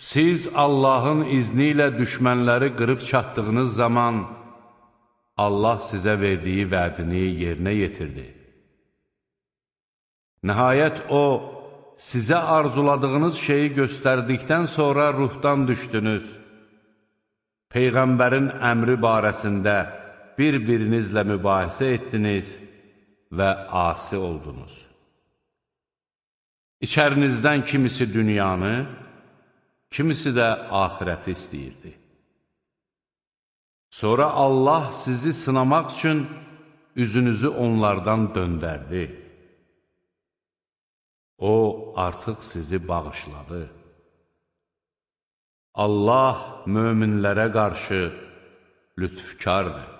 Siz Allahın izni ilə düşmənləri qırıb çatdığınız zaman Allah sizə verdiyi vədini yerinə yetirdi. Nəhayət O, sizə arzuladığınız şeyi göstərdikdən sonra ruhdan düşdünüz. Peyğəmbərin əmri barəsində bir-birinizlə mübahisə etdiniz və asi oldunuz. İçərinizdən kimisi dünyanı, kimisi də axirəti istəyirdi. Sonra Allah sizi sınamaq üçün üzünüzü onlardan döndərdi. O, artıq sizi bağışladı. Allah möminlərə qarşı lütfkardır.